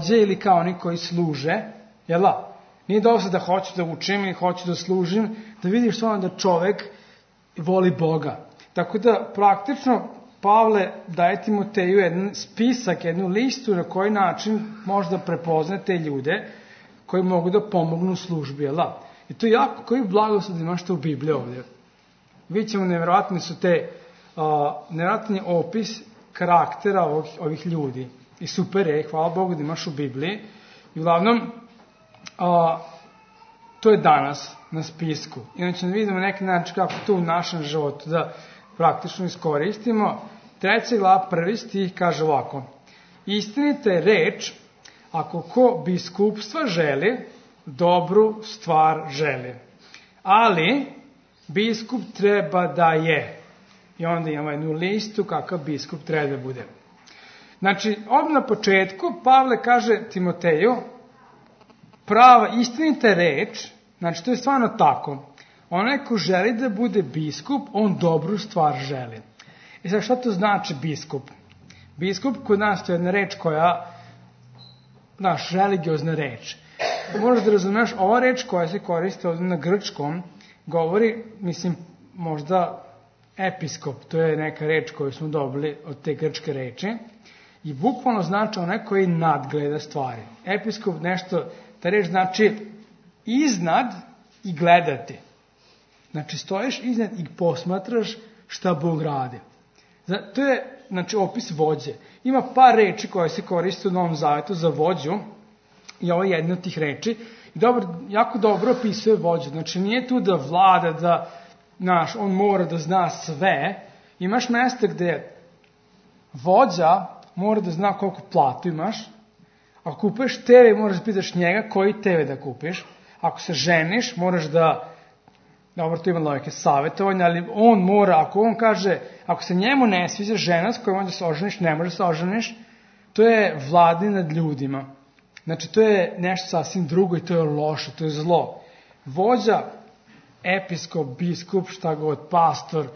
ili kao oni koji služe, jel da? Nije dosta da hoću da učim ili hoću da služim, da vidiš stvarno da čovek voli Boga. Tako da praktično Pavle daje Timoteju jedan spisak, jednu listu na koji način možda prepozna te ljude koji mogu da pomognu u službi, jel da? I to je jako, koji blagoslov da imaš to u Bibliji ovdje. Vidjet ćemo, nevjerojatni su te, nevjerojatni opis karaktera ovih ljudi. I super je, hvala Bogu da imaš u Bibliji. I uglavnom, to je danas na spisku. Inače, da vidimo neki način kako to u našem životu da praktično iskoristimo. 3. glava 1. stih kaže ovako: istinita je reč, ako ko biskupstva želi, dobru stvar želi. Ali biskup treba da je. I onda imamo jednu listu kakav biskup treba da bude. Znači, odmah na početku Pavle kaže Timoteju, prava istinita reč, znači to je stvarno tako. Onaj ko želi da bude biskup, on dobru stvar želi. I sad šta to znači biskup? Biskup kod nas to je jedna reč koja, naš religiozna reč. Možeš da razumeš, ova reč koja se koriste ovdje na grčkom, govori, mislim, možda episkop, to je neka reč koju smo dobili od te grčke reči, i bukvalno znači onaj koji nadgleda stvari. Episkop nešto, ta reč znači iznad i gledati. Znači stojiš iznad i posmatraš šta Bog radi. To je, znači, opis vođe. Ima par reči koje se koriste u Novom Zavetu za vođu, i ovo je jedna od tih reči, i jako dobro opisuje vođu. Znači nije tu da vlada, da on mora da zna sve. Imaš mesta gde vođa mora da zna koliko platu imaš. Ako kupuješ TV, moraš da pitaš njega koji TV da kupiš. Ako se ženiš, moraš da, dobro, tu ima logike savjetovanja, ali on mora, ako on kaže, ako se njemu ne sviđa žena s kojom onda se oženiš, ne možeš se oženiš, to je vladanje nad ljudima. Znači, to je nešto sasvim drugo i to je loše, to je zlo. Vođa, episkop, biskup, šta god, pastor,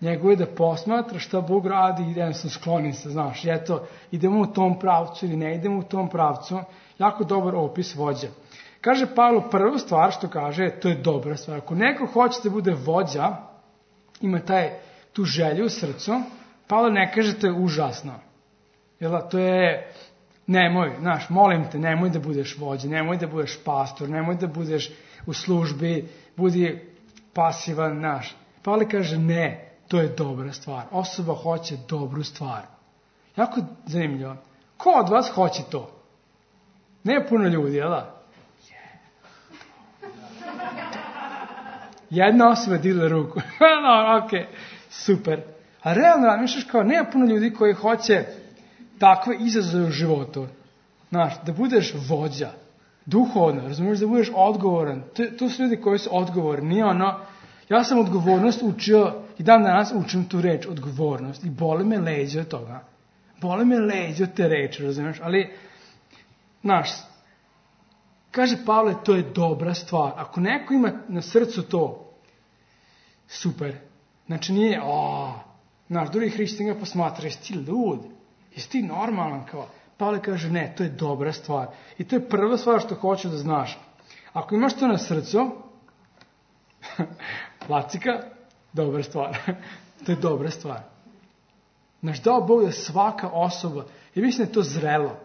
njegov je da posmatra šta Bog radi i jednostavno skloni se, znaš, eto, idemo u tom pravcu ili ne idemo u tom pravcu. Jako dobar opis vođa. Kaže Pavlo, prvu stvar što kaže, to je dobra stvar. Ako neko hoće da bude vođa, ima tu želju u srcu, Pavlo ne kaže to je užasno. Jel, to je, nemoj, molim te, nemoj da budeš vođa, nemoj da budeš pastor, nemoj da budeš u službi, budi pasivan, Pavle kaže ne, to je dobra stvar. Osoba hoće dobru stvar. Jako zanimljivo. Ko od vas hoće to? Ne puno ljudi, jel da? Jedna osoba digla ruku. Ok, super. A realno razmišljaš kao, nema puno ljudi koji hoće takve izazove u životu. Da budeš vođa, duhovno, razumiješ, da budeš odgovoran. To su ljudi koji su odgovorni. Ja sam odgovornost učio i dan danas učim tu reč, odgovornost. I boli me leđe od toga. Boli me leđe od te reči, razumiješ. Ali, kaže Pavle, to je dobra stvar. Ako neko ima na srcu to, super. Znači nije, drugi hrišćani ga posmatra, jesi ti lud? Jesi ti normalan? Pavle kaže, ne, to je dobra stvar. I to je prva stvar što hoću da znaš. Ako imaš to na srcu, lacika, dobra stvar. To je dobra stvar. Dao Bog da svaka osoba, i mislim da je to zrelo.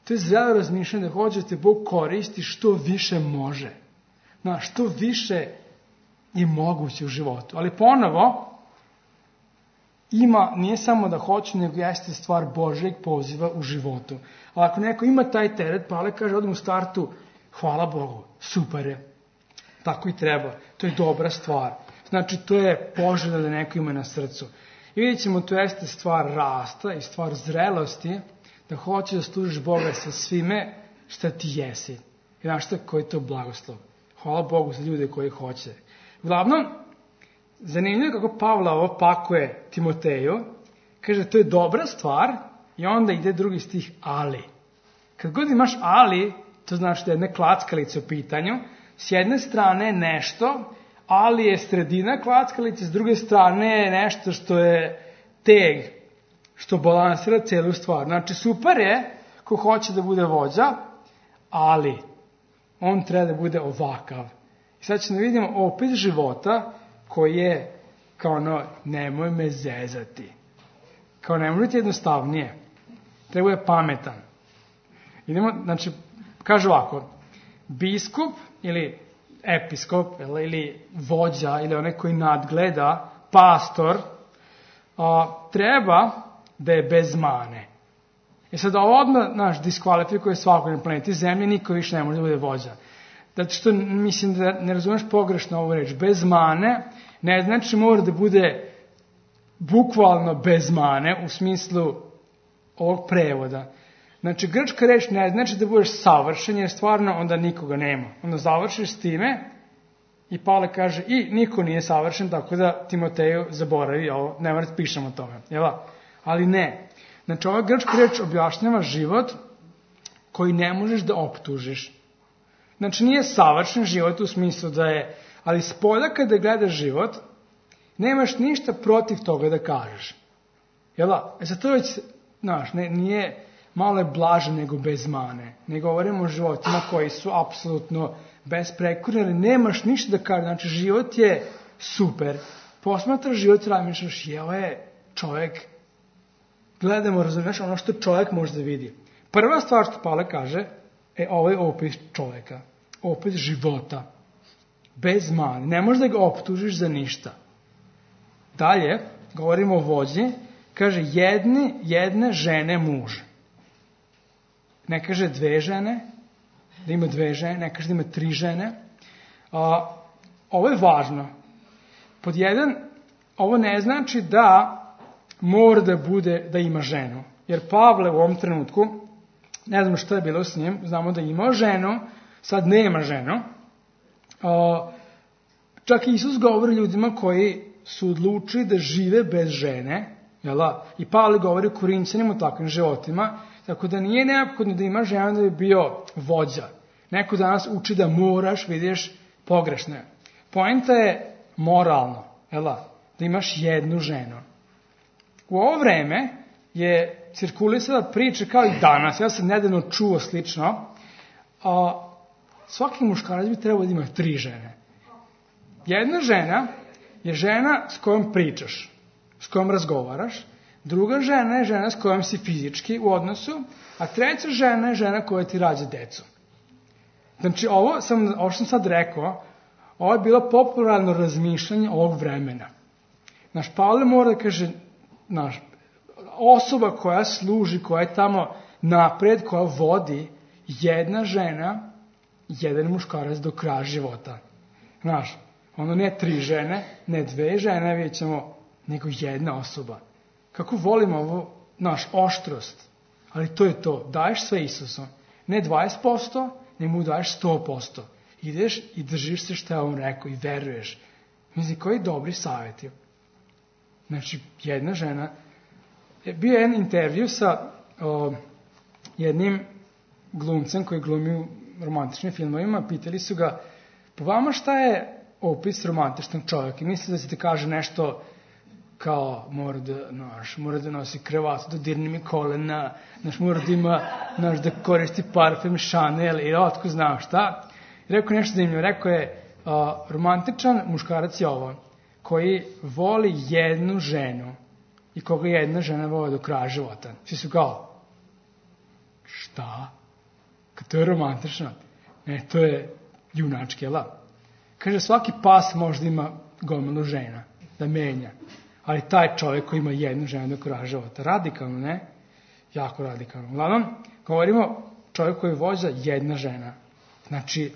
To je zrelo razmišljanje da hoće da te Bog koristi što više može. Što više je moguće u životu. Ali ponovo, nije samo da hoće, nego jeste stvar Božjeg poziva u životu. Ali ako neko ima taj teret, Pavle kaže odmah u startu, hvala Bogu, super je. Tako i treba. To je dobra stvar. Znači, to je poželjno da neko ima na srcu. I vidjet ćemo, to jeste stvar rasta i stvar zrelosti, da hoće da služiš Boga sa svime šta ti jesi. I znaš šta, koji je to blagoslov. Hvala Bogu za ljude koji hoće. Uglavnom, zanimljivo kako Pavle ovo pakuje Timoteju, kaže to je dobra stvar i onda ide drugi stih ali. Kad god imaš ali, to znači da je jedna klackalica u pitanju, s jedne strane nešto, ali je sredina klackalice, s druge strane je nešto što je teg, što balansira celu stvar. Znači super je ko hoće da bude vođa, ali on treba da bude ovakav. I sad ćemo da vidimo opis života koji je kao nemoj me zezati. Kao ne može biti jednostavnije. Treba je pametan. Idemo, znači, kaže ovako, biskup ili episkop ili vođa ili onaj koji nadgleda, pastor, treba da je bez mane. I sad ovo odmah diskvalifikuje svakog na planeti Zemlje, niko više ne može da bude vođa. Zato što mislim da ne razumeš pogrešno ovu reč. Bez mane ne znači mora da bude bukvalno bez mane u smislu ovog prevoda. Znači, grčka reč ne znači da budeš savršen, jer stvarno onda nikoga nema. Onda završiš s time i Pavle kaže i niko nije savršen, tako da Timoteju zaboravi ovo, ne mora da pišemo o tome. Jel? Ali ne. Znači, ova grčka reč objašnjava život koji ne možeš da optužiš. Znači, nije savršen život u smislu da je, ali spolja kada gledaš život, nemaš ništa protiv toga da kažeš. Jel? Sad to već, nije malo je blaže nego bez mane. Ne govorimo o životima koji su apsolutno besprekorni, ali nemaš ništa da kažeš. Znači, život je super. Posmatraš život i razmišljaš, ovo je čovjek. Gledamo, razumiješ, ono što čovjek može da vidi. Prva stvar što Pavle kaže, ovo je opis čovjeka. Opis života. Bez mane. Ne možeš da ga optužiš za ništa. Dalje, govorimo o vođi, kaže jedne žene muž. Ne kaže dve žene, da ima dve žene, ne kaže da ima tri žene. Ovo je važno. Pod jedan, ovo ne znači da mora da bude da ima ženu. Jer Pavle u ovom trenutku, ne znamo što je bilo s njim, znamo da je imao ženu, sad nema ženu. Čak i Isus govori ljudima koji su odlučili da žive bez žene, i Pavle govori o Korinćanima o takvim životima, tako da nije neophodno da ima žena da bi bio vođa. Neko danas uči da moraš, vidiš, pogrešno je. Poenta je moralno, da imaš jednu ženu. U ovo vreme je cirkulisala priča kao i danas, ja sam nedavno čuo slično, svaki muškarac bi trebao da ima 3 žene. Jedna žena je žena s kojom pričaš, s kojom razgovaraš, druga žena je žena s kojom si fizički u odnosu, a treća žena je žena koja ti rađa decu. Znači, ovo što sam sad rekao, ovo je bilo popularno razmišljanje ovog vremena. Pavle mora da kaže, osoba koja služi, koja je tamo napred, koja vodi, jedna žena, jedan muškarac do kraja života. Ono ne 3 žene, ne 2 žene, vidjet ćemo, nego jedna osoba. Kako volimo ovo, oštrost, ali to je to, daješ sve Isusom, ne 20%, ne mu daješ 100%. Ideš i držiš se što je on rekao i veruješ. Mislim, koji dobri savjeti. Znači, jedna žena, bio je jedan intervju sa jednim glumcem koji glumi u romantičnim filmovima, pitali su ga, po vama šta je opis romantičnog čovjeka? I misli da se ti kaže nešto kao mora da nosi kravatu, da dirne mi kolena, mora da ima, da koristi parfem Chanel i otko znam šta. I rekao nešto zanimljivo, rekao je, romantičan muškarac je ovo, koji voli jednu ženu i koga jedna žena voli do kraja života. Svi su kao, šta? Kad to je romantično? Ne, to je junački, Kaže, svaki pas možda ima gomilu žena, da menja. Ali taj čovjek koji ima jednu ženu do kraja života. Radikalno, ne? Jako radikalno. Uglavnom, govorimo čovjek koji vođa jedna žena. Znači,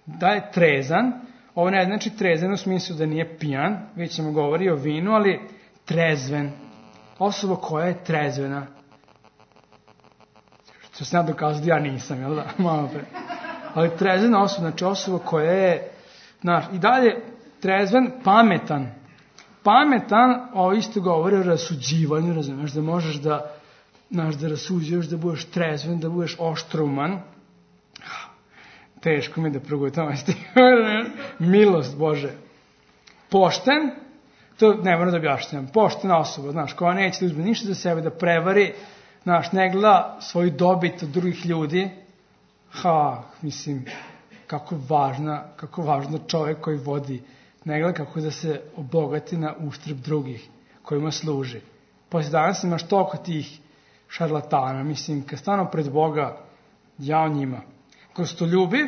da je trezan, ovo ne znači trezan u smislu da nije pijan, već ćemo govori o vinu, ali trezven. Osoba koja je trezvena. Što se ja dokazao da ja nisam, jel da? Malo pre. Ali trezvena osoba, znači osoba koja je, i dalje trezven, pametan. Pametan, ovo isto govori o rasuđivanju, razumiješ, da možeš da rasuđuješ, da budeš trezven, da budeš oštruman. Teško mi da progutam, milost Bože. Pošten, to ne moram da objašnjam, poštena osoba, koja neće da uzme ništa za sebe, da prevari, ne gleda svoju dobit od drugih ljudi, mislim, kako je važno čovjek koji vodi, ne gleda kako da se obogati na uštrb drugih kojima služi. Poslije danas imaš toliko tih šarlatana, mislim, kad stano pred Boga, jao njima. Gostoljubiv,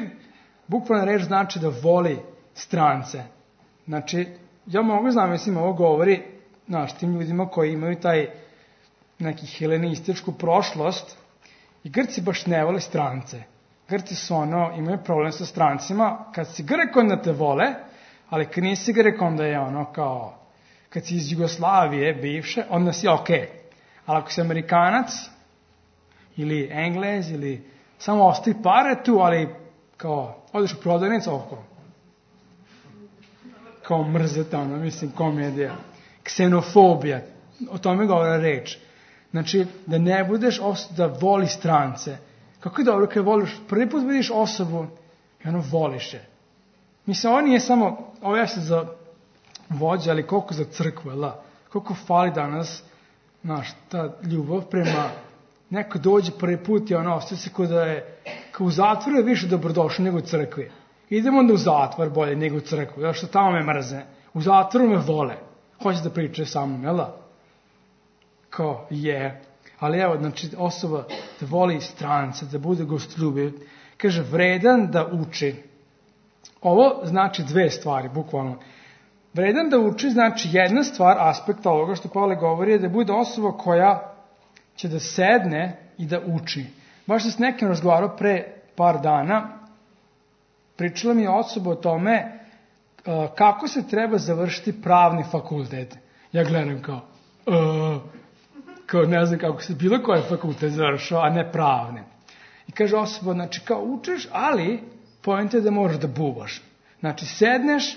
bukvalna reč znači da voli strance. Znači, ja mogu znam, mislim, ovo govori, tim ljudima koji imaju taj neki helenističku prošlost, i Grci baš ne vole strance. Grci su imaju problem sa strancima, kad si Grek onda te vole, ali kad nisi Grek onda je kao, kad si iz Jugoslavije bivše, onda si okej. Ali ako si Amerikanac, ili Englez, ili samo ostavi pare tu, ali kao, odeš u prodavnicu, kao mrzeta, mislim, komedija. Ksenofobija, o tome govora reč. Znači, da ne budeš da voli strance. Kako je dobro kad voliš, prvi put vidiš osobu i voliš je. Mislim, ovo nije samo, ovo ja se za vođa, ali koliko za crkvu, koliko fali danas, ta ljubav prema, neko dođe prvi put i ostaje se kao da je, kao u zatvoru je više dobrodošao nego u crkvi. Idemo onda u zatvor bolje nego u crkvu, zato što tamo me mrze. U zatvoru me vole. Hoće da pričaju sa mnom, jel da? Kao, je. Ali evo, znači, osoba da voli strance, da bude gostoljubiv, kaže, vredan da uči. Ovo znači dve stvari, bukvalno. Vredan da uči znači jedna stvar, aspekt ovoga što Pavle govori, je da bude osoba koja će da sedne i da uči. Baš sam s nekim razgovarao pre par dana, pričala mi je osoba o tome kako se treba završiti pravni fakultet. Ja gledam kao ne znam kako se bilo koji fakultet završao, a ne pravne. I kaže osoba, znači kao učiš, ali poenta je da moraš da bubaš. Znači sedneš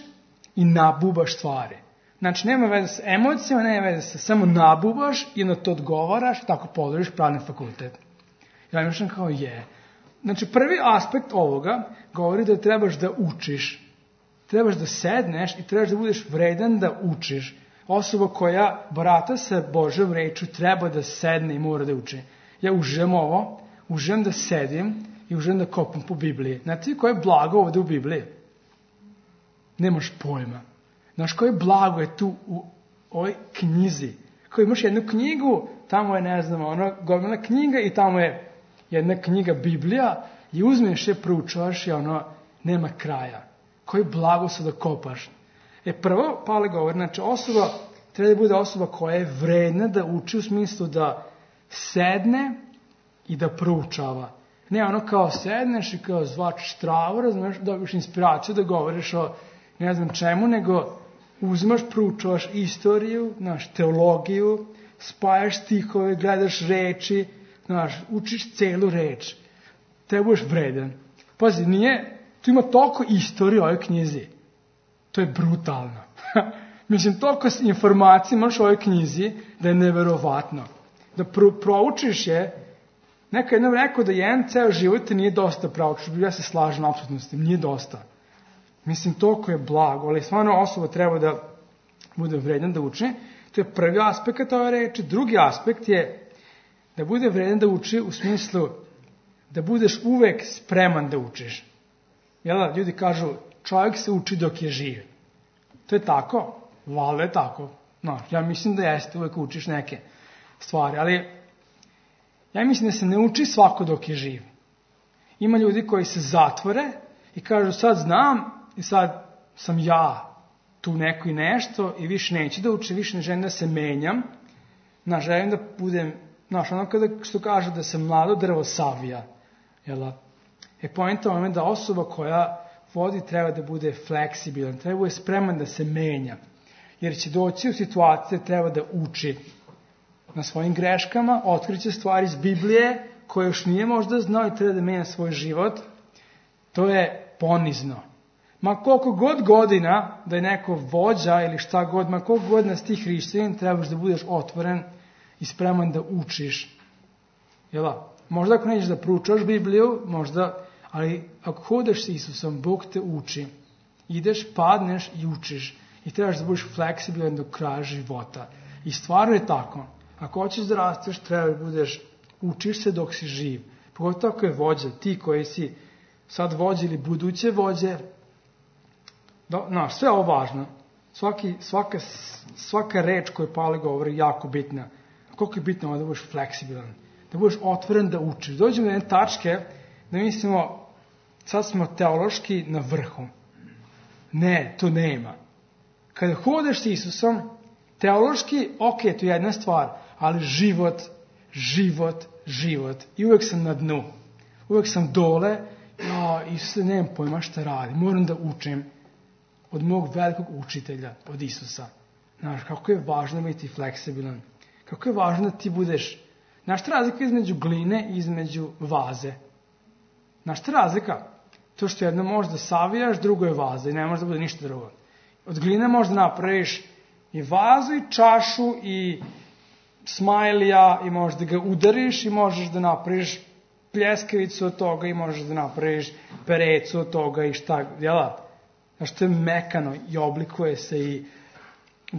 i nabubaš stvari. Znači nema veze sa emocijama, nema veze sa samo nabubaš i na to odgovaraš, tako položiš pravni fakultet. Ja mislim kao je. Znači prvi aspekt ovoga govori da trebaš da učiš. Trebaš da sedneš i trebaš da budeš vredan da učiš. Osoba koja barata sa Božjom rečju treba da sedne i mora da uči. Ja uživam ovo, uživam da sedim i uživam da kopam po Bibliji. Znate koje je blago ovde u Bibliji? Nemaš pojma. Znaš koje blago je tu u ovoj knjizi? Kao imaš jednu knjigu, tamo je, ne znam, gomila knjiga i tamo je jedna knjiga Biblija i uzmeš je, proučavaš i nema kraja. Koje blago su da kopaš. Prvo, Pavle govori, znači osoba, treba da bude osoba koja je vredna da uči u smislu da sedne i da proučava. Ne kao sedneš i kao zvačiš travu, razumeš, dobiš inspiraciju da govoriš o ne znam čemu, nego uzimaš, proučavaš istoriju, teologiju, spajaš stihove, gledaš reči, učiš celu reč. Treba budeš vredan. Pazi, tu ima toliko istorije u ovoj knjizi. To je brutalno. Mislim, toliko informacija imaš u ovoj knjizi da je neverovatno. Da proučiš je, neko jednom rekao da jedan ceo život te nije dosta proučiš. Ja se slažem apsolutno s tim, nije dosta. Mislim, toliko je blago, ali stvarno osoba treba da bude vredan da uči. To je prvi aspekt ove reči. Drugi aspekt je da bude vredan da uči u smislu da budeš uvek spreman da učiš. Jel, ljudi kažu, čovjek se uči dok je živ. To je tako? Valjda je tako. Ja mislim da jeste, uvek učiš neke stvari, ali ja mislim da se ne uči svako dok je živ. Ima ljudi koji se zatvore i kažu, sad znam i sad sam ja tu neko i nešto i više neću da učim, više ne želim da se menjam. Želim da budem, kada što kažu da se mlado drvo savija. Poenta je da osoba koja vodi treba da bude fleksibilan, treba da bude spreman da se menja. Jer će doći u situaciju da treba da uči na svojim greškama, otkriće stvari iz Biblije koje još nije možda znao i treba da menja svoj život. To je ponizno. Ma koliko god godina da je neko vođa ili šta god, ma koliko godina si ti hrišćanin, trebaš da budeš otvoren i spreman da učiš. Možda ako nećeš da proučaš Bibliju, možda, ali ako hodeš s Isusom, Bog te uči. Ideš, padneš i učiš. I trebaš da budeš fleksibilan do kraja života. I stvarno je tako. Ako hoćeš da rasteš, treba da budeš Učiš se dok si živ. Pogotovo ako je vođa, ti koji si sad vođe ili buduće vođe. Sve ovo važno. Svaka reč koju Pavle govori je jako bitna. A koliko je bitno da budeš fleksibilan, da budeš otvoren da učiš. Dođemo do jedne tačke da mislimo, sad smo teološki na vrhu. Ne, to nema. Kada hodeš s Isusom, teološki, ok, to je jedna stvar, ali život. I uvek sam na dnu. Uvek sam dole, Isuse, nemam pojma šta radi. Moram da učim od mog velikog učitelja, od Isusa. Znaš, kako je važno biti fleksibilan. Kako je važno da ti budeš... Znaš šta razlika između gline i između vaze? Znaš šta razlika? To što jedno možeš da savijaš, drugo je vaza i ne može da bude ništa drugo. Od gline možeš da napraviš i vazu i čašu i smajlija i možeš da ga udariš i možeš da napraviš pljeskavicu od toga i možeš da napraviš perecu od toga i šta, jela? Znaš, to je mekano i oblikuje se i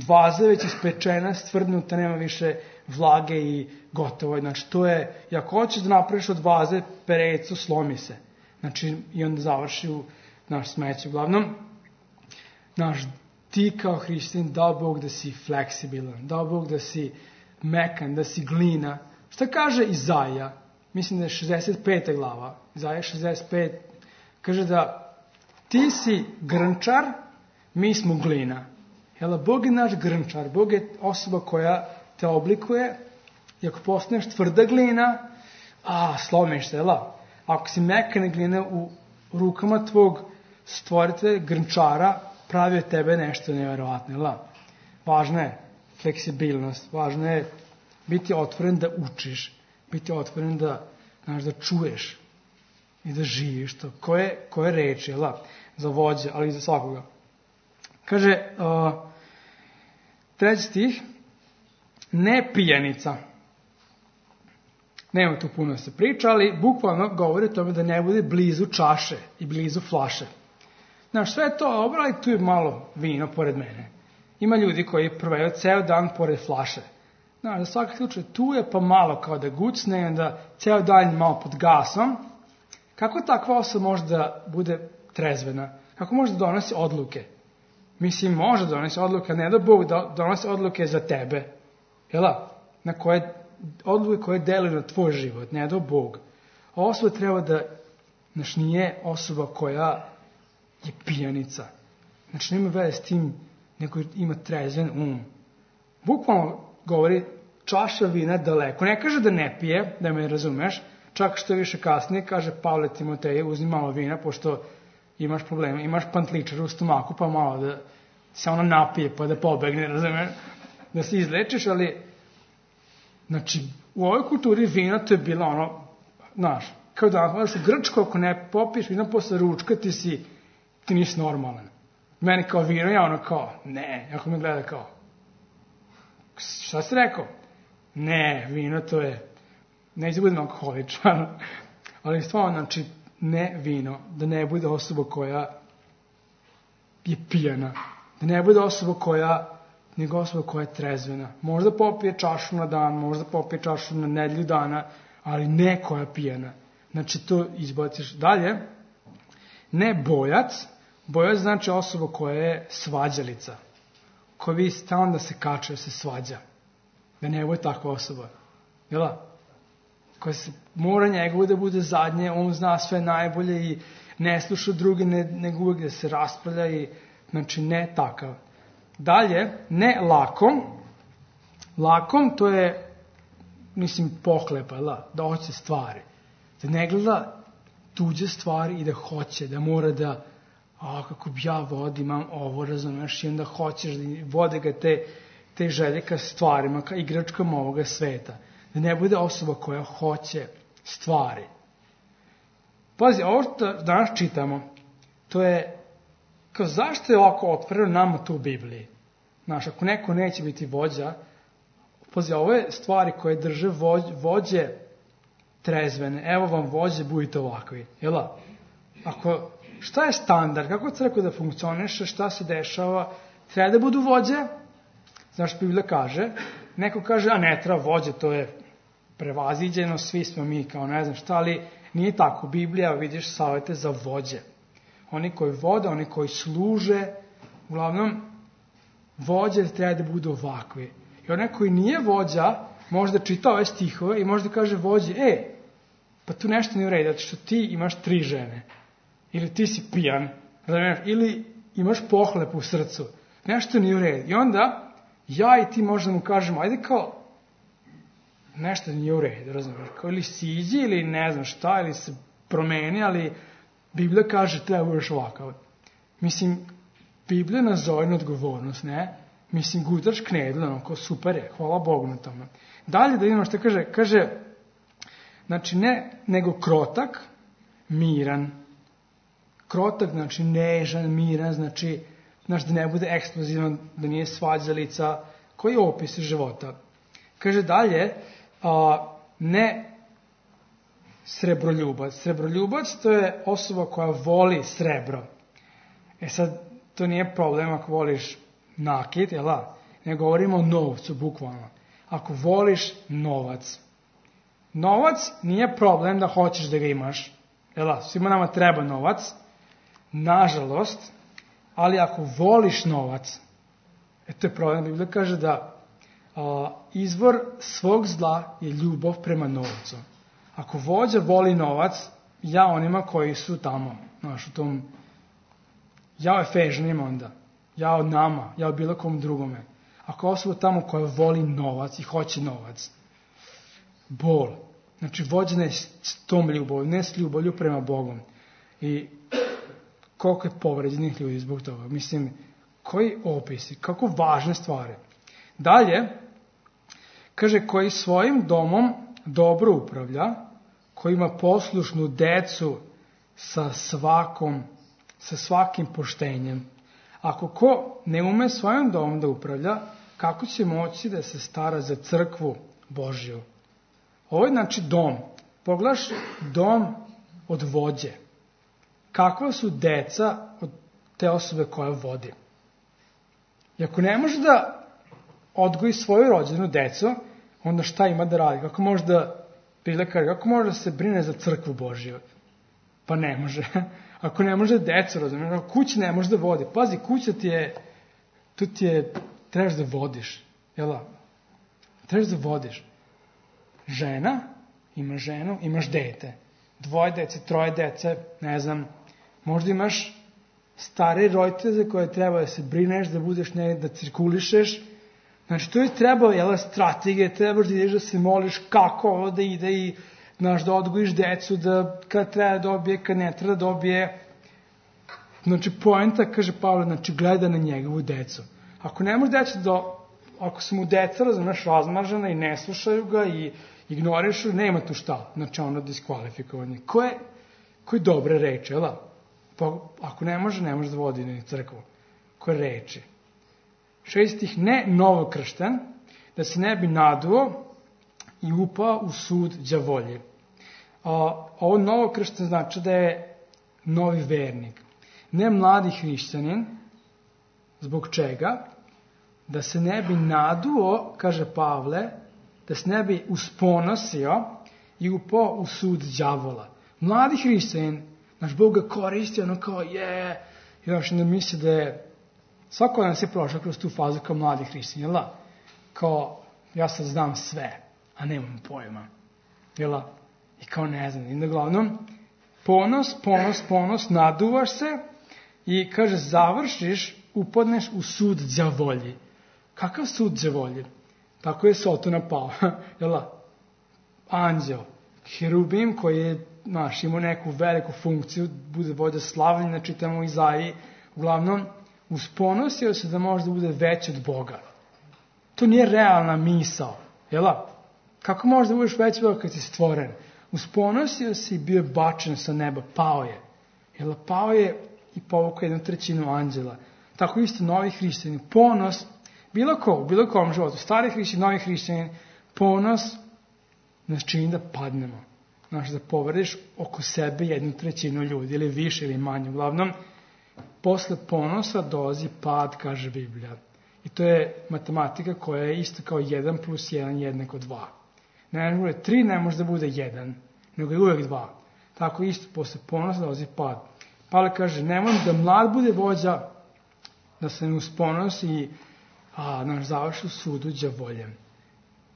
vaza već ispečena, stvrdnuta, nema više vlage i gotovo. Znači, to je, i ako hoćeš da napraviš od vaze perecu, slomi se. Znači, i onda završi u naš smeću. Uglavnom, ti kao hrišćanin, dao Bog da si fleksibilan, dao Bog da si mekan, da si glina. Šta kaže Izaija? Mislim da je 65. glava. Izaija 65. Kaže da ti si grnčar, mi smo glina. Jel, Bog je naš grnčar, Bog je osoba koja te oblikuje i ako postaneš tvrda glina, slomiš se, jel? Ako si mekane gline u rukama tvog stvoritelja, grnčara, pravi od tebe nešto nevjerovatno, jel? Važna je fleksibilnost, važno je biti otvoren da učiš, biti otvoren da čuješ i da živiš to. Koje reči, jel? Za vođe, ali i za svakoga. Kaže, 3. stih, ne pijanica. Nema tu puno da se priča, ali bukvalno govori o tome da ne bude blizu čaše i blizu flaše. Znaš, sve je to dobro, ali tu je malo vino pored mene. Ima ljudi koji provedu ceo dan pored flaše. Znaš, za svaki slučaj tu je pa malo kao da gucne i onda ceo dan malo pod gasom. Kako takva osoba može da bude trezvena? Kako može da donosi odluke? Mislim, može da donosi odluke, ne da Bog donosi odluke za tebe. Jela? Odluke koje deluju na tvoj život, ne da Bog. A osoba treba da, nije osoba koja je pijanica. Znači, nema veze s tim, nego ima trezven Bukvalno govori čaša vina daleko. Ne kaže da ne pije, da me razumeš, čak što više kasnije kaže Pavle Timoteju, uzmi malo vina, pošto imaš problema, imaš pantličar u stomaku, pa malo da se ono napije, pa da pobegne, razumeš, da se izlečiš, ali, znači, u ovoj kulturi vina to je bilo kao da u Grčko, ako ne popiješ vina posle ručka, ti nisi normalan. Meni kao vino, ja ne, ako me gleda kao, šta si rekao? Ne, vino to je, neće budem alkoholičan, ali stvarno, znači, ne vino, da ne bude osoba koja je pijana, da ne bude nego osoba koja je trezvena. Možda popije čašu na dan, možda popije čašu na nedelju dana, ali ne koja je pijana. Znači, to izbaciš dalje. Ne bojac. Bojac znači osoba koja je svađalica, koja vi stalno da se kače, da se svađa. Da ne bude takva osoba. Jela? Koja se mora njegovo da bude zadnje, on zna sve najbolje i ne sluša druge, nego uvek da se raspravlja i, znači, ne takav. Dalje, ne lakom. Lakom to je, pohlepa, da hoće stvari. Da ne gleda tuđe stvari i da hoće, da mora da, kako bi ja vodi, imam ovo, razumeš, i onda hoćeš da vode ga te želje ka stvarima, ka igračkama ovoga sveta. Da ne bude osoba koja hoće stvari. Pazi, ovo što danas čitamo, to je, kao zašto je ovako otvoreno nama to u Bibliji? Znaš, ako neko neće biti vođa, pazi, ovo je stvari koje drže vođe trezvene. Evo vam vođe, budite ovakvi. Jela? Šta je standard? Kako crkva da funkcioniše? Šta se dešava? Treba da budu vođe? Znaš, Biblija kaže, neko kaže, ne treba vođe, to je prevaziđeno, svi smo mi kao ne znam šta, ali nije tako. Biblija, vidiš, savete za vođe. Oni koji vode, oni koji služe, uglavnom, vođe treba da budu ovakvi. I onaj koji nije vođa, može da čita ove stihove i može da kaže vođi, pa tu nešto nije u redu, zato što ti imaš 3 žene. Ili ti si pijan, ili imaš pohlepu u srcu. Nešto nije u redu. I onda, ja i ti možemo mu kažemo, ajde kao, nešto nije u redu, razumiješ? Kao ili siđi, ili ne znam šta, ili se promeni, ali Biblija kaže, treba budeš ovakav. Mislim, Biblija nas zove na odgovornost, ne? Mislim, gutaš knedle, kao super je, hvala Bogu na tome. Dalje da vidimo što kaže, znači ne, nego krotak, miran. Krotak, znači nežan, miran, znači da ne bude eksplozivan, da nije svađalica, koji je opis života. Kaže dalje, ne srebroljubac. Srebroljubac to je osoba koja voli srebro. Sad, to nije problem ako voliš nakit, jel da? Ne govorimo o novcu, bukvalno. Ako voliš novac. Novac nije problem da hoćeš da ga imaš. Jel da? Svima nama treba novac. Nažalost, ali ako voliš novac, to je problem. Biblija kaže da izvor svog zla je ljubav prema novcu. Ako vođa voli novac, ja onima koji su tamo, znaš, u tom, ja Efežanima onda, ja od nama, ja od bilo kom drugome. Ako osoba tamo koja voli novac i hoće novac, bol. Znači, vođa ne s tom ljubavlju, ne s ljubavlju prema Bogom. I koliko je povređenih ljudi zbog toga. Mislim, koji opisi, kako važne stvari. Dalje, kaže, koji svojim domom dobro upravlja, koji ima poslušnu decu sa svakim poštenjem. Ako ko ne ume svojim domom da upravlja, kako će moći da se stara za crkvu Božju? Ovo je znači dom. Pogledaš dom od vođe. Kakva su deca od te osobe koja vodi? I ako ne može da odgoji svoju rođenu decu, onda šta ima da radi? Kako može da se brine za crkvu Božju? Pa ne može. Ako ne može decu, razumiješ, ako kuća ne može da vodi. Pazi, kuća trebaš da vodiš. Jel? Trebaš da vodiš. Žena, imaš ženu, imaš dete. 2 dece, 3 dece, ne znam. Možda imaš stare roditelje koje treba da se brineš, da budeš da cirkulišeš. Znači, to je treba, strategije, trebaš da ideš da se moliš kako ovo da ide i da odgojiš decu, da kad treba da dobije, kad ne treba da dobije. Znači, poenta, kaže Pavle, znači, gleda na njegovu decu. Ako ne može ako su mu deca, razmažena i ne slušaju ga i ignorišu, nema tu šta. Znači, ono diskvalifikovanje. Koje dobre reči, jel da? Ako ne može da vodi ni crkvu. Koje reči? 6. Ne novokršten, da se ne bi naduo i upao u sud đavolji. Ovo novokršten znači da je novi vernik. Ne mladi hrišćanin, zbog čega? Da se ne bi naduo, kaže Pavle, da se ne bi usponosio i upao u sud đavola. Mladi hrišćanin, naš Bog ga koristi, ono kao i onda misli da je, svako nas je prošao kroz tu fazu kao mladi hrišćanin, jel da? Kao, ja sad znam sve, a nemam pojma, jel da? I kao ne znam, i uglavnom, ponos, naduvaš se i kaže, završiš, upadneš u sud đavolji. Kakav sud đavolji? Tako je Sotona pao, jel da? Anđeo, herubim koji je, imao neku veliku funkciju, bude vođa slavljenja, čitamo u Izaiji, uglavnom, usponosio se da može da bude veći od Boga. To nije realna misao, jel da? Kako možeš da budeš veći od Boga kad si stvoren? Usponosio se i bio bačen sa neba, pao je. Jel da? Pao je i povukao 1/3 anđela. Tako isto novi hrišćani. Ponos, bilo kom životu, stari hrišćani, novi hrišćani, ponos nas čini da padnemo. Znači, da povrediš oko sebe 1/3 ljudi, ili više ili manje. Uglavnom, posle ponosa dolazi pad, kaže Biblija. I to je matematika koja je isto kao 1 + 1 = 2. Ne može da bude 3, ne može da bude 1, nego je uvek 2. Tako isto, posle ponosa dolazi pad. Pavle kaže, nemoj da mlad bude vođa, da se ne usponosi i završi u sudu đavoljem.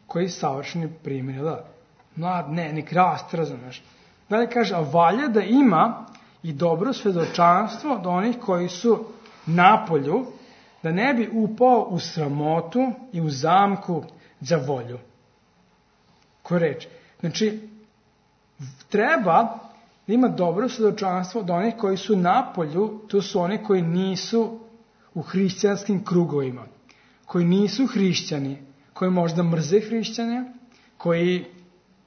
Koji savršeni primjer, da? Mlad, nek raste, razumeš. Dalje kaže, a valja da ima i dobro svedočanstvo do onih koji su napolju, da ne bi upao u sramotu i u zamku đavolju. Koja reč? Znači, treba da ima dobro svedočanstvo do onih koji su napolju, to su oni koji nisu u hrišćanskim krugovima, koji nisu hrišćani, koji možda mrze hrišćane, koji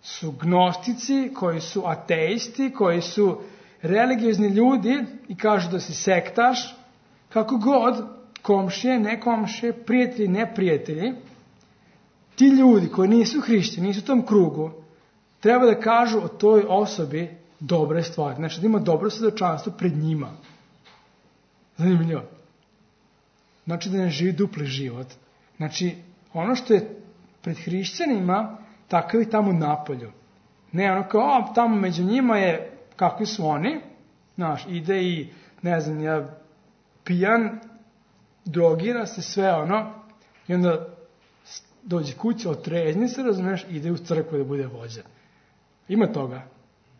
su gnostici, koji su ateisti, koji su religiozni ljudi i kažu da si sektaš, kako god, komšije, ne komšije, prijatelji, ne prijatelji, ti ljudi koji nisu hrišćani, nisu u tom krugu, treba da kažu o toj osobi dobre stvari. Znači da ima dobro svedočanstvo pred njima. Zanimljivo. Znači da ne živi dupli život. Znači ono što je pred hrišćanima, takav i tamo napolju. Ne ono kao, tamo među njima je, kakvi su oni, znaš, ide i, ne znam, ja pijan, drogira se sve ono, i onda dođe kuća, otrezni se, razumiješ, ide u crkvu da bude vođa. Ima toga.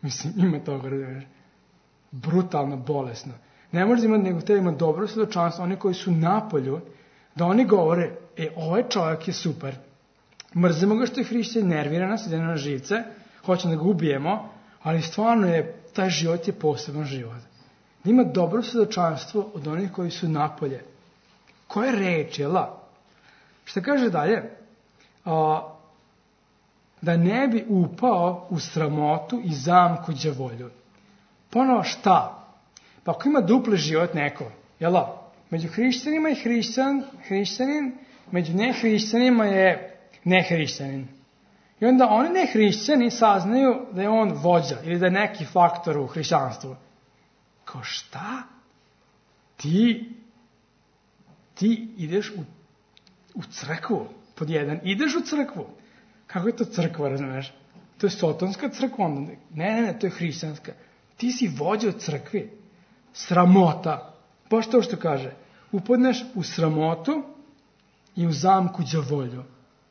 Mislim, ima toga, razumiješ. Brutalno, bolesno. Ne može imati, nego treba ima dobro svedočanstvo, oni koji su napolju, da oni govore, ovaj čovjek je super. Mrzimo ga što je hrišćan, nervira nas, ide na živce, hoćemo da ga ubijemo, ali stvarno je, taj život je poseban život. Da ima dobro svedočanstvo od onih koji su napolje. Koje reči, jela? Šta kaže dalje? Da ne bi upao u sramotu i zamku đavolju. Ponovo šta? Pa ako ima dupli život neko, jela? Među hrišćanima je hrišćanin, među nehrišćanima je nehrišćanin. I onda oni nehrišćani saznaju da je on vođa ili da je neki faktor u hrišćanstvu. Kao šta? Ti ideš u crkvu, pod jedan, ideš u crkvu. Kako je to crkva, razumeš? To je sotonska crkva onda. Ne, to je hrišćanska. Ti si vođa u crkvi. Sramota. Baš to što kaže. Upadneš u sramotu i u zamku đavolju.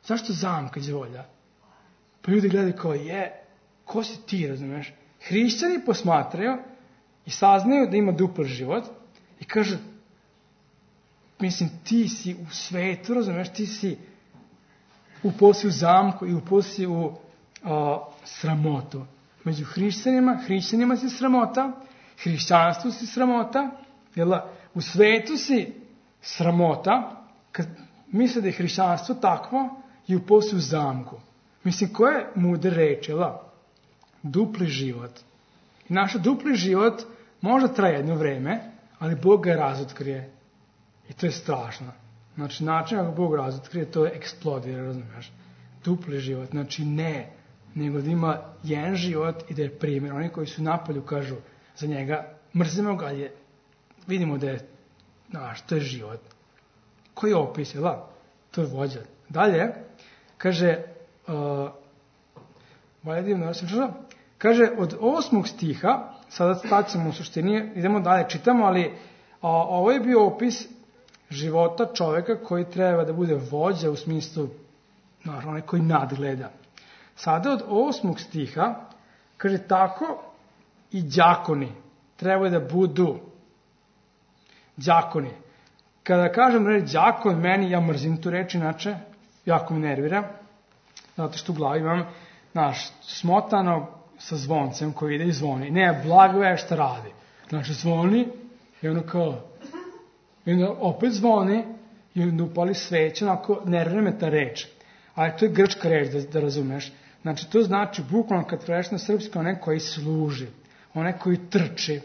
Zašto zamka đavolja? Pa ljudi gledaju kao ko si ti, razumeš? Hrišćani posmatraju i saznaju da ima dupli život i kažu, mislim, ti si u svetu, razumeš, ti si upao si u zamku i upao si u sramotu. Među hrišćanima si sramota, hrišćanstvu si sramota, u svetu si sramota, kad misle da je hrišćanstvo takvo i upao si u zamku. Mislim, koje mudre reči, dupli život. I naš dupli život možda traje jedno vreme, ali Bog ga razotkrije. I to je strašno. Znači, način kako Bog razotkrije, to je eksplodira, razumiješ? Dupli život, znači ne, nego da ima jedan život i da je primjer. Oni koji su napolju kažu za njega, mrzimo ga, ali vidimo da je, to je život. Koji je opis, to je vođa. Dalje, kaže, kaže od 8. stiha, sada stacimo u suštini, idemo dalje, čitamo, ali ovo je bio opis života čoveka koji treba da bude vođa u smislu, onaj koji nadgleda. Sada od 8. stiha, kaže tako i đakoni treba da budu đakoni. Kada kažem reč đakon, ja mrzim tu reč, inače, jako me nervira, zato što u glavi imam, smotano sa zvoncem koji ide i zvoni. Ne, Blagoje šta radi. Znači, zvoni i ono kao, i onda opet zvoni i onda upali sveće, onako nervira me ta reč. Ali to je grčka reč, da razumeš. Znači, to znači, bukvalno kad preš na srpski, onaj koji služi, onaj koji trči.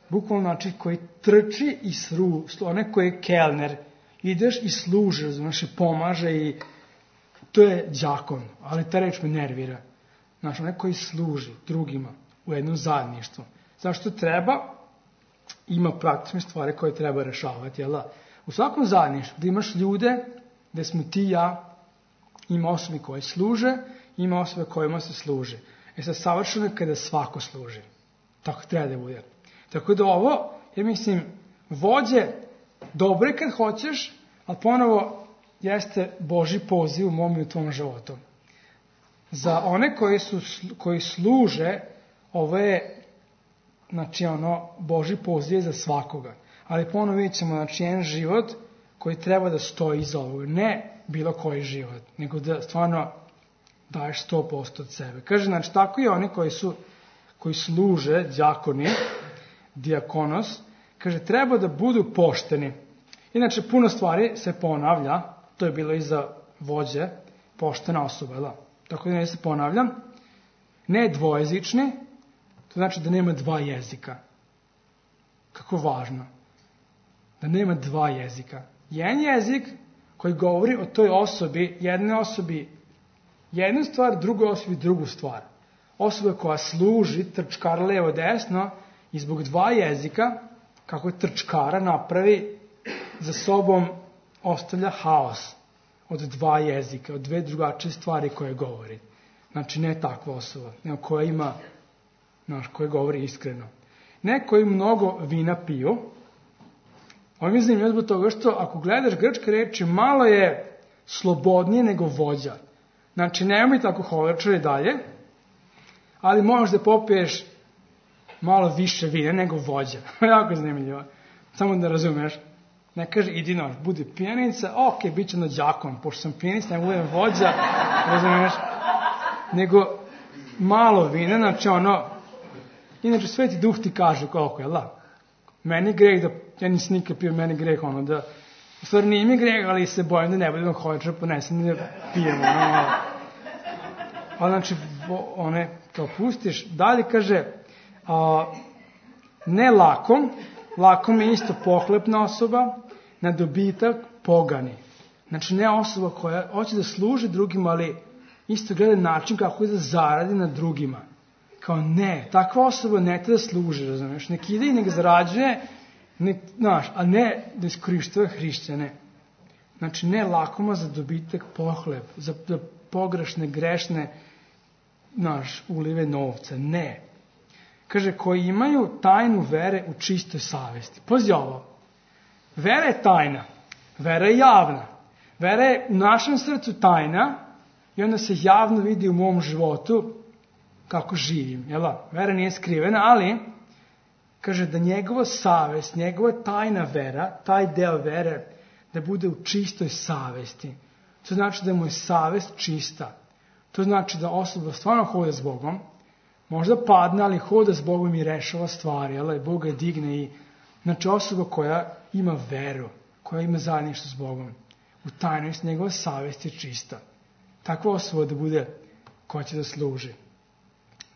Bukvalno znači koji trči i onaj koji je kelner. Ideš i služi, razumeš, i pomaže i to je đakon, ali ta reč me nervira. Znači, onaj koji služi drugima u jednom zajedništvu. Zašto treba? Ima praktične stvari koje treba rešavati, U svakom zajedništvu, da imaš ljude, gde smo ti i ja, ima osobi koje služe, ima osobe kojima se služe. Sad, savršeno je kada svako služi. Tako treba da bude. Tako da ovo, ja mislim, vođe, dobro je kad hoćeš, ali ponovo jeste Božji poziv u mom i u tvom životu. Za one koji služe, ovo je, znači, Božji poziv je za svakoga. Ali ponovo vidjet ćemo, znači, jedan život koji treba da stoji iza ovoga. Ne bilo koji život, nego da stvarno daješ 100% od sebe. Kaže, znači, tako i oni koji služe, đakoni, dijakonos, kaže, treba da budu pošteni. Inače, puno stvari se ponavlja, to je bilo i za vođe, poštena osoba, da. Tako da ne se ponavljam. Ne dvojezični, to znači da nema dva jezika. Kako važno. Da nema dva jezika. Jedan jezik koji govori o toj osobi, jednoj osobi jednu stvar, drugoj osobi drugu stvar. Osoba koja služi, trčkara levo desno, i zbog dva jezika, kako je trčkara napravi, za sobom ostavlja haos od dva jezika, od dve drugačije stvari koje govori. Znači, ne takva osoba, nego koja ima, koja govori iskreno. Ne koji mnogo vina piju. Ovo mi zanimljivo zbog toga što ako gledaš grčke reči, malo je slobodnije nego vođa. Znači, nemoj tako hoverčari dalje, ali možeš da popiješ malo više vina nego vođa. Jako zanimljivo. Samo da razumeš. Ne kaže, idi budi pijanica, ok, bit će đakon, pošto sam pijanica, ne budem vođa, razumeš? Nego malo vina, znači inače Sveti Duh ti kaže koliko je, meni greh da, ja nisam nikad pio, meni greh da, u stvari nije mi greh, ali se bojim da ne budem hoćer, ponesem da pijemo, ali znači, kao pustiš, dalje kaže, ne lakom je isto pohlepna osoba, na dobitak pogani. Znači, ne osoba koja hoće da služi drugima, ali isto gleda način kako da zaradi na drugima. Kao ne, takva osoba ne treba da služi, razumiješ, nek ide i nek zarađuje, a ne da iskorištava hrišćane. Znači, ne lakoma za dobitak pohlep, za pogrešne, grešne, ulive novca, ne. Kaže, koji imaju tajnu vere u čistoj savesti. Pazi ovo, vera je tajna, vera je javna, vera je u našem srcu tajna i onda se javno vidi u mom životu kako živim. Vera nije skrivena, ali kaže da njegova savest, njegova tajna vera, taj deo vere, da bude u čistoj savesti. To znači da mu je savest čista. To znači da osoba stvarno hoda s Bogom, možda padne, ali hoda s Bogom i rešava stvari, Bog ga digne i, znači, osoba koja ima veru, koja ima zajedništvo s Bogom, u tajnosti njegova savest je čista. Takva osoba da bude koja će da služi.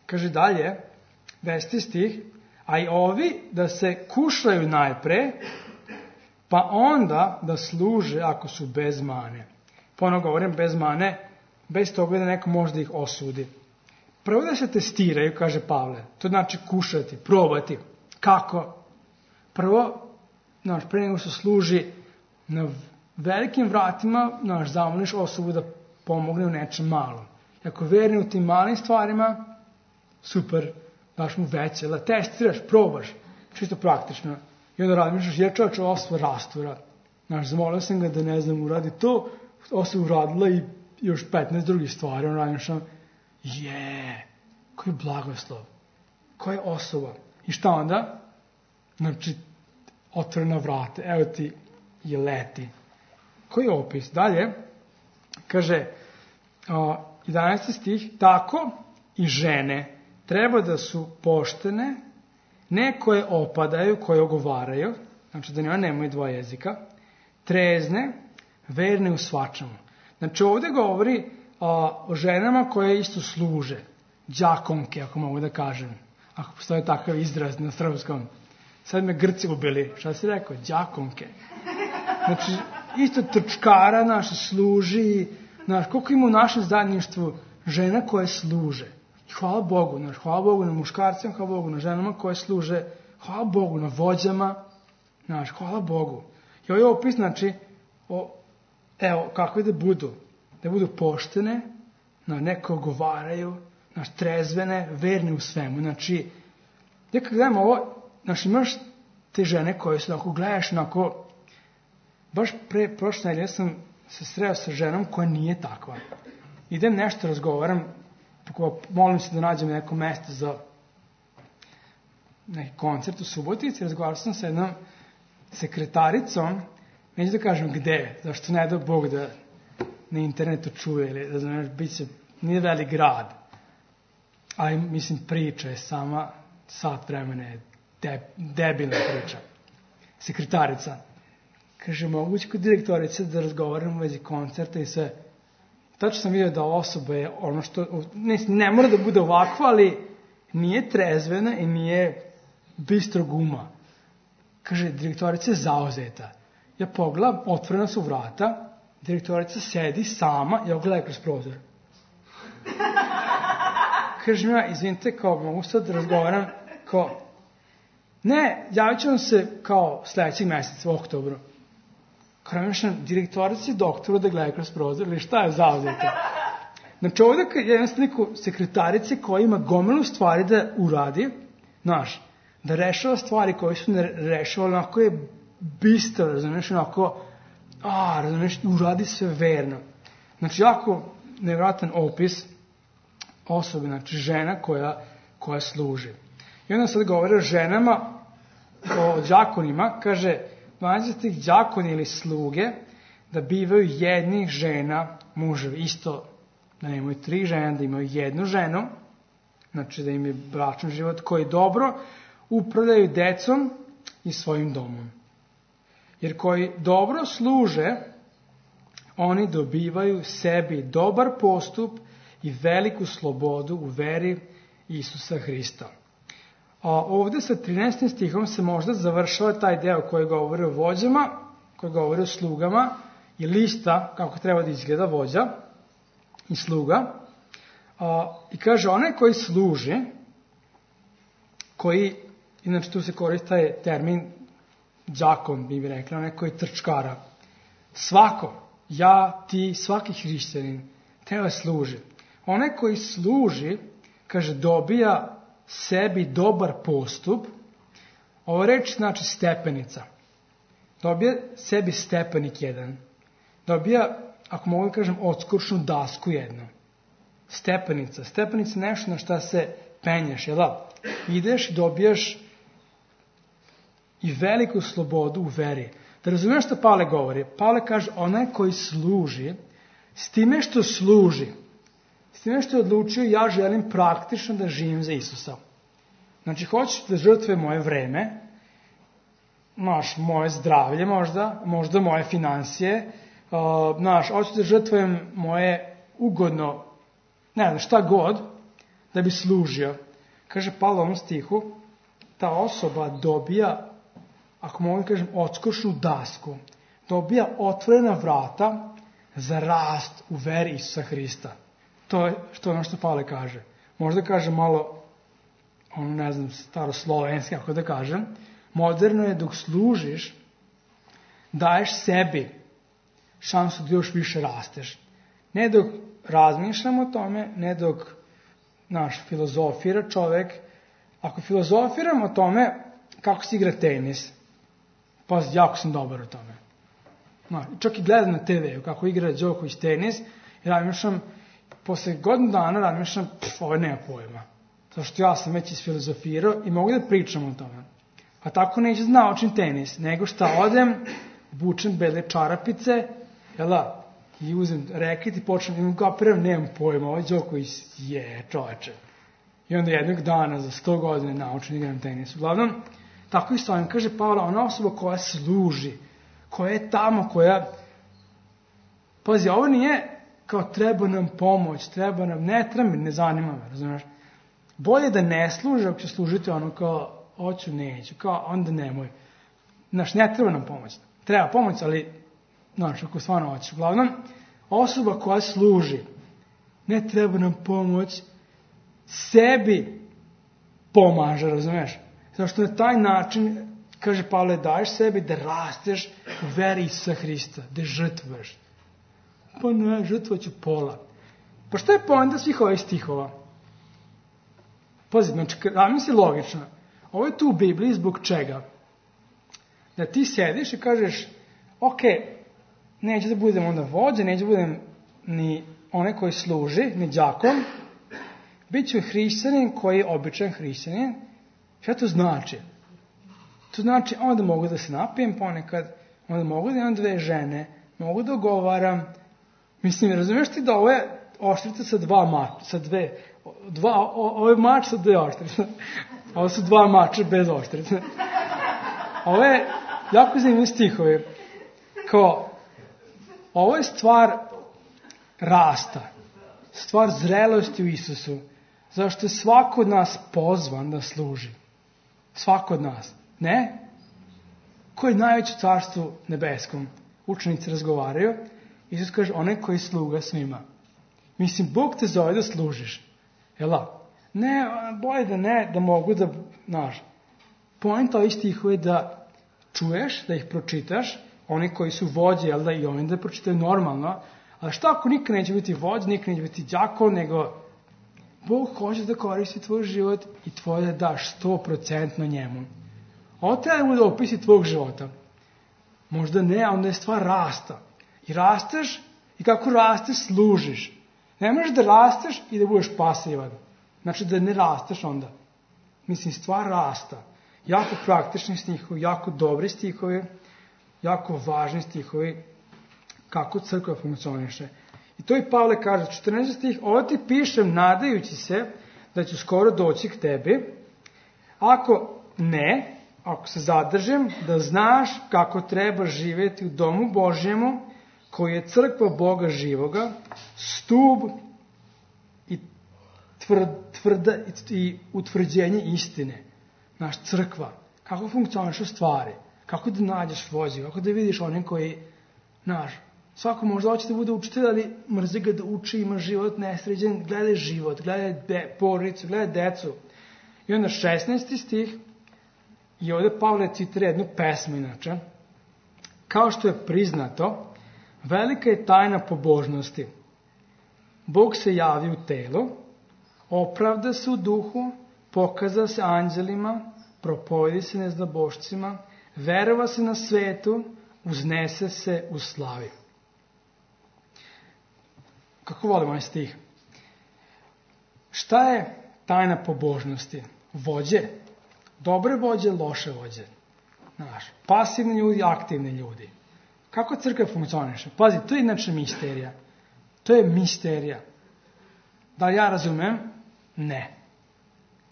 Kaže dalje, 10. stih, a i ovi da se kušaju najpre, pa onda da služe ako su bez mane. Ponovno govorim bez mane, bez toga da neko može da ih osudi. Prvo da se testiraju, kaže Pavle, to znači kušati, probati. Kako? Prvo, pre nego se služi na velikim vratima, zamoliš osobu da pomogne u nečem malom. Ako verni u tim malim stvarima, super, daš mu veće, testiraš, probaš, čisto praktično. I onda razmišljaš, jer čovječ ova osoba rastura. Zamolio sam ga da uradi to, osoba uradila i još 15 drugih stvari. On razmišljam, koji blagoslov, koja osoba. I šta onda? Znači, otvorena vrata, evo ti i leti. Koji je opis? Dalje, kaže, 11. stih, tako i žene treba da su poštene, ne koje opadaju, koje ogovaraju, znači da one nemaju dva jezika, trezne, verne u svačemu. Znači ovdje govori o ženama koje isto služe, đakonke, ako mogu da kažem, ako postoje takav izraz na srpskom. Sad me Grci ubili, šta si rekao, đakonke. Znači, isto trčkara naša služi, koliko ima u našem zajedništvu žena koje služe. I hvala Bogu na muškarcima, hvala Bogu na ženama koje služe, hvala Bogu na vođama, hvala Bogu. I ovo je opis, znači, evo, kako da budu poštene, neke ogovaraju, trezvene, verne u svemu. Znači, ja kad gledam ovo, imaš te žene koje su, ako gledaš, baš pre prošle nedelje sam se sreo sa ženom koja nije takva. Idem nešto razgovaram, molim se da nađem neko mesto za neki koncert u Subotici, razgovarao sam sa jednom sekretaricom, neću da kažem gde, zašto ne da Bog da na internetu čuje, ili da znaš, nije velik grad, ali mislim priča je sama, sat vremena je debilna priča. Sekretarica. Kaže, moguće kod direktorice da razgovaram u vezi koncerta i sve. Tačno sam vidio da osoba je ono što, ne mora da bude ovako, ali nije trezvena i nije bistrog uma. Kaže, direktorica je zauzeta. Ja pogledam, otvorena su vrata, direktorica sedi sama, ja gledam kroz prozor. Kaže mi ja, izvinite, kao mogu sad da razgovaram, kao, ne, javit ću vam se kao sledećeg meseca u oktobru. Kao namišljam, direktorici doktoru da gleda kroz prozor, ili šta je zauzeta? Znači ovdje je jedna sliku sekretarice koja ima gomilu stvari da uradi, da rešava stvari koje su ne rešavali, onako je bistro, razumiješ, onako, uradi sve verno. Znači, jako nevratan opis osobe, znači žena koja služi. I onda sad govore o ženama, o đakonima, kaže, 12 đakoni ili sluge, da bivaju jednih žena muževi. Isto, da nemaju 3 žene, da imaju jednu ženu, znači da im je bračni život koji dobro upravljaju decom i svojim domom. Jer koji dobro služe, oni dobivaju sebi dobar postup i veliku slobodu u veri Isusa Hrista. A ovdje sa 13. stihom se možda završava taj deo koji govori o vođama, koji govori o slugama i lista kako treba da izgleda vođa i sluga. I kaže, onaj koji služi, koji, inače tu se koristi taj termin đakon, bi rekla, onaj koji trčkara. Svako, ja, ti, svaki hrišćanin treba služi. Onaj koji služi, kaže, dobija sebi dobar postup. Ovo reč znači stepenica. Dobija sebi stepenik jedan. Dobija, ako mogu kažem, odskuršnu dasku jednu. Stepenica. Stepenica je nešto na šta se penješ, jel da? Ideš i dobijaš i veliku slobodu u veri. Da razumiješ što Pavle govori? Pavle kaže, onaj koji služi, s time što služi, s time što je odlučio, ja želim praktično da živim za Isusa. Znači, hoćeš da žrtve moje vreme, moje zdravlje možda moje finansije, hoću da žrtvujem moje ugodno, ne znam, šta god, da bi služio. Kaže Pavle u ovom stihu, ta osoba dobija, ako mogu kažem, odskočnu dasku, dobija otvorena vrata za rast u veri Isusa Hrista. To je ono što Pavle kaže. Možda kaže malo, ne znam, staroslovenski, ako da kažem, moderno je dok služiš, daješ sebi šansu da još više rasteš. Ne dok razmišljamo o tome, ne dok filozofira čovek. Ako filozofiram o tome kako se igra tenis, pa jako sam dobar u tome. Čak i gledam na TV kako igra Đoković tenis i razmišljam, posle godinu dana razmišljam, ovo nema pojma. Zato što ja sam već isfilozofirao i mogu da pričam o tome. A tako neću da naučim tenis, nego šta odem, bučem bele čarapice, i uzem reket i počnem da kapiram, nemam pojma, ovo Đoković je čoveče. I onda jednog dana za 100 godina naučim da igram tenis. Uglavnom, tako i stojim, kaže Pavle, ona osoba koja služi, koja je tamo, pazi, ovo nije kao treba nam pomoć, ne zanima me, razumiješ? Bolje da ne služe, ako će služiti ono kao, hoću, neću, kao, onda nemoj. Ne treba nam pomoć. Treba pomoć, ali, ako stvarno hoćeš. Uglavnom, osoba koja služi, ne treba nam pomoć, sebi pomaže, razumiješ? Zato što na taj način, kaže Pavle, daješ sebi da rasteš u veri Isusa Hrista, da žrtvuješ. Pa ne, žrtvoću pola. Pa šta je poenta svih ovih stihova? Pazi, znači, misli logično. Ovo je tu u Bibliji zbog čega? Da ti sediš i kažeš, ok, neću da budem onda vođa, neću da budem ni onaj koji služi, ni đakon, bit ću hrišćanin koji je običan hrišćanin. Šta to znači? To znači onda mogu da se napijem ponekad, onda mogu da imam 2 žene, mogu da ogovaram. Mislim, razumiješ ti da ovo je oštrica sa 2 mača, ovo je mač sa 2 oštrice. Ovo su 2 mača bez oštrice. Ovo je jako zanimljiv stihovi. Kao, ovo je stvar rasta, stvar zrelosti u Isusu, zašto je svako od nas pozvan da služi. Svako od nas. Ne? Ko je najveći u carstvu nebeskom? Učenici razgovaraju. Isus kaže, onaj koji je sluga svima. Mislim, Bog te zove da služiš. Jela? Ne, bolje da ne, da mogu da, znaš. Poenta ovih stihova je da čuješ, da ih pročitaš, oni koji su vođe, jel da, i oni da pročitaju normalno, ali šta ako nikad neće biti vođa, nikad neće biti đakon, nego Bog hoće da koristi tvoj život i tvoje da daš 100% njemu. Ovo treba da bude opisi tvojeg života. Možda ne, a onda je stvar rasta. I rasteš, i kako rasteš, služiš. Ne možeš da rasteš i da budeš pasivan. Znači da ne rasteš onda. Mislim, stvar rasta. Jako praktični stihovi, jako dobri stihovi, jako važni stihovi, kako crkva funkcioniše. I to i Pavle kaže, 14. stih, ovo ti pišem nadajući se da ću skoro doći k tebi. Ako ne, ako se zadržim, da znaš kako treba živjeti u domu Božjemu, koji je crkva Boga živoga, stub i i utvrđenje istine. Naš crkva. Kako funkcionišu stvari? Kako da nađeš vođu? Kako da vidiš onim koji, znaš, svako možda hoće da bude učitelj, ali mrzi ga da uči, ima život nesređen, gledaj život, gledaj porodicu, gledaj decu. I onda 16. stih, i ovdje Pavle citira jednu pesmu inače, kao što je priznato, velika je tajna pobožnosti. Bog se javi u telu, opravda se u duhu, pokaza se anđelima, propovedi se neznabošcima, verova se na svetu, uznese se u slavi. Kako volim ovaj stih? Šta je tajna pobožnosti? Vođe. Dobre vođe, loše vođe. Znaš, pasivni ljudi, aktivni ljudi. Kako crkva funkcioniše? Pazi, to je inače misterija. To je misterija. Da li ja razumem? Ne.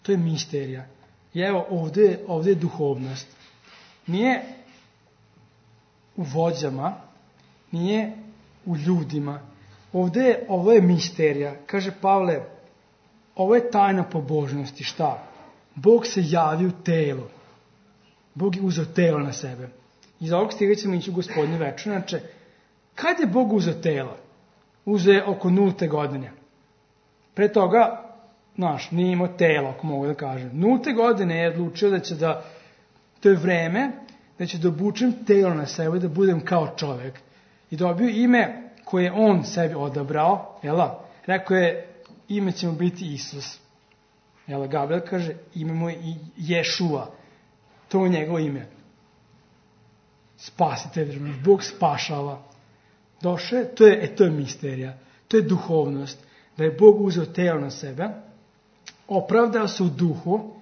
To je misterija. I evo, ovdje je duhovnost. Nije u vođama, nije u ljudima. Ovo je misterija. Kaže Pavle, ovo je tajna pobožnosti. Šta? Bog se javi u telu. Bog je uzeo telo na sebe. Iz ovog stiga ćemo ići u Gospodnju večer. Znači, kad je Bog uzeo telo? Uzeo je oko 0. godine. Pre toga, znaš, nije imao telo, ako mogu da kažem. 0. godine je odlučio da će da, to je vreme, da će da obučem telo na sebe, da budem kao čovjek. I dobio ime koje je on sebi odabrao, jela? Rekao je, ime će mu biti Isus. Jela, Gabriel kaže, ime mu je Ješua. To je njegovo ime. Spasitelj, Bog spašava. Došao je, to je misterija. To je duhovnost. Da je Bog uzeo telo na sebe, opravdao se u duhu,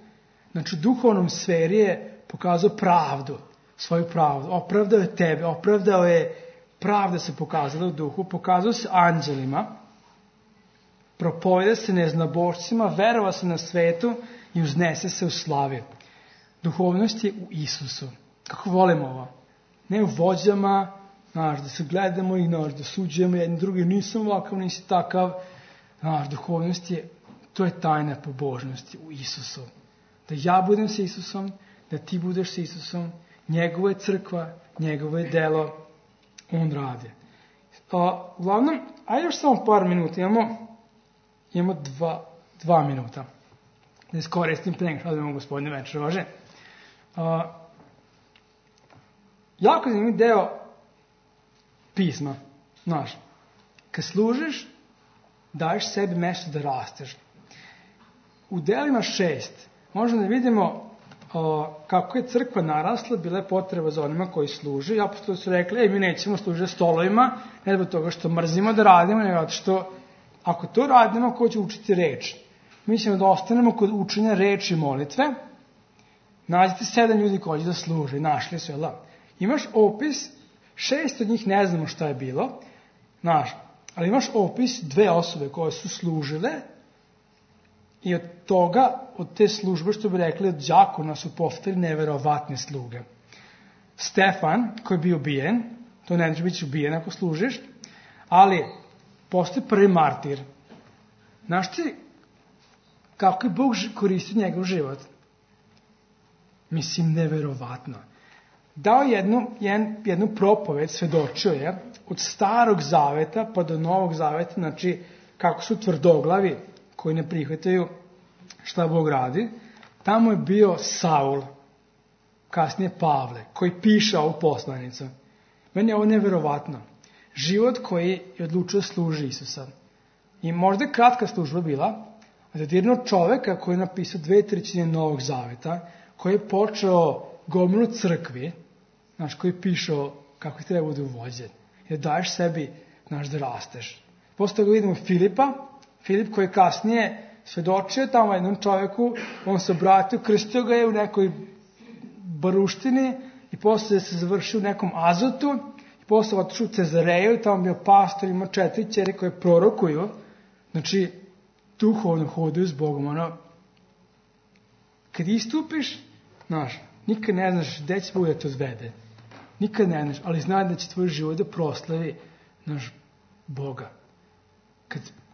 znači u duhovnom sferi je pokazao pravdu, svoju pravdu. Opravdao je tebe, opravdao je pravda se pokazala u duhu, pokazao se anđelima, propoveda se neznabošcima, verova se na svetu i uznese se u slavi. Duhovnost je u Isusu. Kako volimo ovo? Ne u vođama, znaš, da se gledamo i znaš, da suđujemo jedni drugi, nisam ovakav, nisi takav. Znaš, duhovnost je, to je tajna pobožnosti u Isusu. Da ja budem sa Isusom, da ti budeš sa Isusom, njegova je crkva, njegovo je delo, on radi. Uglavnom, ajde još samo par minuta, imamo 2 minuta. Da iskoristim pre nego što odemo Gospodnje večer, važe. Jako zanimljiv deo pisma, znaš, kad služiš, daješ sebi mesto da rasteš. U delima 6 možemo da vidimo kako je crkva narasla, bila je potreba za onima koji služe. I apostoli su rekli, mi nećemo služiti stolovima, ne zbog toga što mrzimo da radimo, nego zato što ako to radimo, ko će učiti reč? Mi ćemo da ostanemo kod učenja reči i molitve. Nađite 7 ljudi koji će da služe, našli su, jel? Imaš opis, 6 od njih ne znamo šta je bilo, ali imaš opis 2 osobe koje su služile i od toga, od te službe, što bi rekli, od đakona su postali neverovatne sluge. Stefan, koji je bio ubijen, to ne znači biti ubijen ako služiš, ali postoji prvi martir. Znaš ti kako je Bog koristio njegov život? Mislim, neverovatno. Dao jednu propoved, svedočio je, od starog zaveta pa do novog zaveta, znači kako su tvrdoglavi koji ne prihvataju šta Bog radi. Tamo je bio Saul, kasnije Pavle, koji piše ovu poslanicu. Meni je ovo neverovatno. Život koji je odlučio služi Isusa. I možda je kratka služba bila, a zadirno čoveka koji je napisao 2/3 Novog zaveta, koji je počeo gomilu crkvi, koji je pišao kako ih treba budu vođe. Jer daješ sebi, da rasteš. Posle toga vidimo Filipa, Filip koji je kasnije svedočio tamo jednom čoveku, on se obratio, krstio ga je u nekoj baruštini i posle se završio u nekom Azotu i posle otišao u Cezareju, tamo bio pastor, ima 4 ćeri koje prorokuju, znači duhovno hoduju s Bogom. Kad istupiš, nikad ne znaš gde će Bog da te odvede. Nikad ne znaš, ali znaj da će tvoj život da proslavi Boga.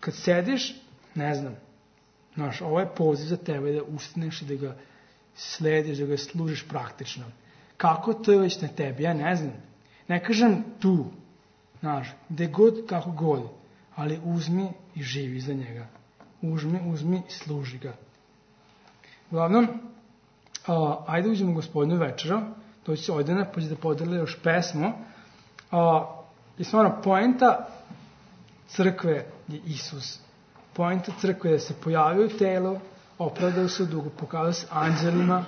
Kad sediš, ne znam, ovo je poziv za tebe da ustaneš i da ga slediš, da ga služiš praktično. Kako to je već na tebi, ja ne znam. Ne kažem tu, gde god, kako god, ali uzmi i živi za njega. Uzmi i služi ga. Uglavnom, ajde uđemo u Gospodnju večeru, doći se Ojdana, pa će da podeli još pesmu. I stvarno, poenta crkve je Isus. Poenta crkve je da se pojavio u telu, opravdao se u dugu, pokazao se anđelima,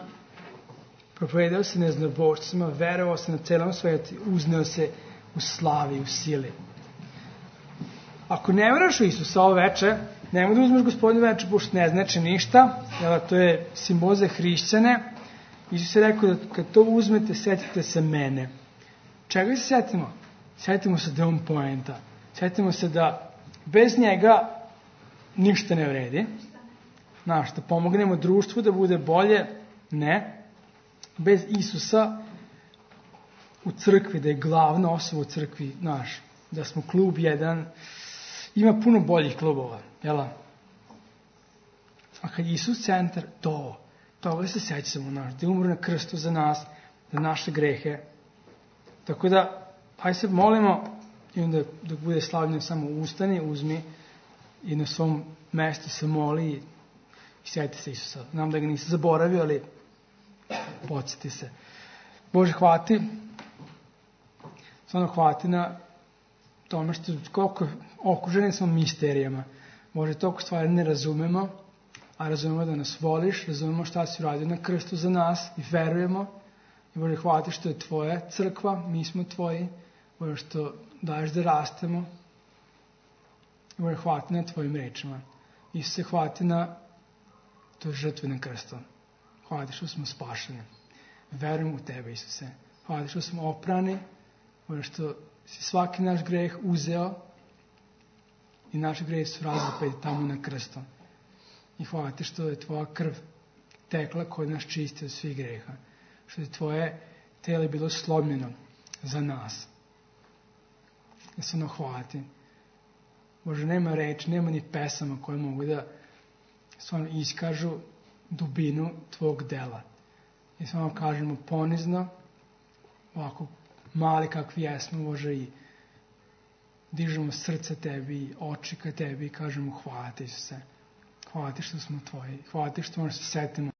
propovedao se neznabošcima, verovao se na celom svetu, uzneo se u slavi, u sili. Ako ne veraš u Isusa ovo veče, nemoj da uzmeš Gospodnju večer, pošto ne znači ništa, jer to je simbol za hrišćane. Isus je rekao da kad to uzmete, setite se mene. Čega se setimo? Setimo se da je on poenta. Setimo se da bez njega ništa ne vredi. Da pomognemo društvu da bude bolje, ne. Bez Isusa u crkvi, da je glavna osoba u crkvi, da smo klub jedan, ima puno boljih klubova, jel? A kad je Isus centar, toga se sećamo, da je umro na krstu za nas, za naše grehe. Tako da, hajde se molimo i onda dok bude slavljeno samo ustani, uzmi i na svom mestu se moli i sjeti se Isusa. Znam da ga nisi zaboravio, ali podsjeti se. Bože, hvati, stvarno hvati na tome što koliko okruženi smo misterijama. Bože, toliko stvari ne razumemo, a razumemo da nas voliš, razumemo šta si uradio na krstu za nas i verujemo. I Bože, hvati što je tvoja crkva, mi smo tvoji, Bože, što daješ da rastemo. I Bože, hvati na tvojim rečima. Isuse, hvati na toj žrtvi na krstu. Hvati što smo spašeni. Verujem u tebe, Isuse. Hvati što smo oprani, Bože, što si svaki naš greh uzeo i naši grehi su razapeti tamo na krstu. I hvala ti što je tvoja krv tekla koja nas čisti od svih greha. Što je tvoje telo bilo slomljeno za nas. Ja se hvala ti. Bože, nema reči, nema ni pesama koje mogu da stvarno iskažu dubinu tvog dela. I stvarno kažemo ponizno, ovako mali kakvi jesmo, Bože, i dižemo srce tebi, oči ka tebi i kažemo hvala ti, Isuse. Hvala ti što smo tvoji. Hvala ti što možemo se setimo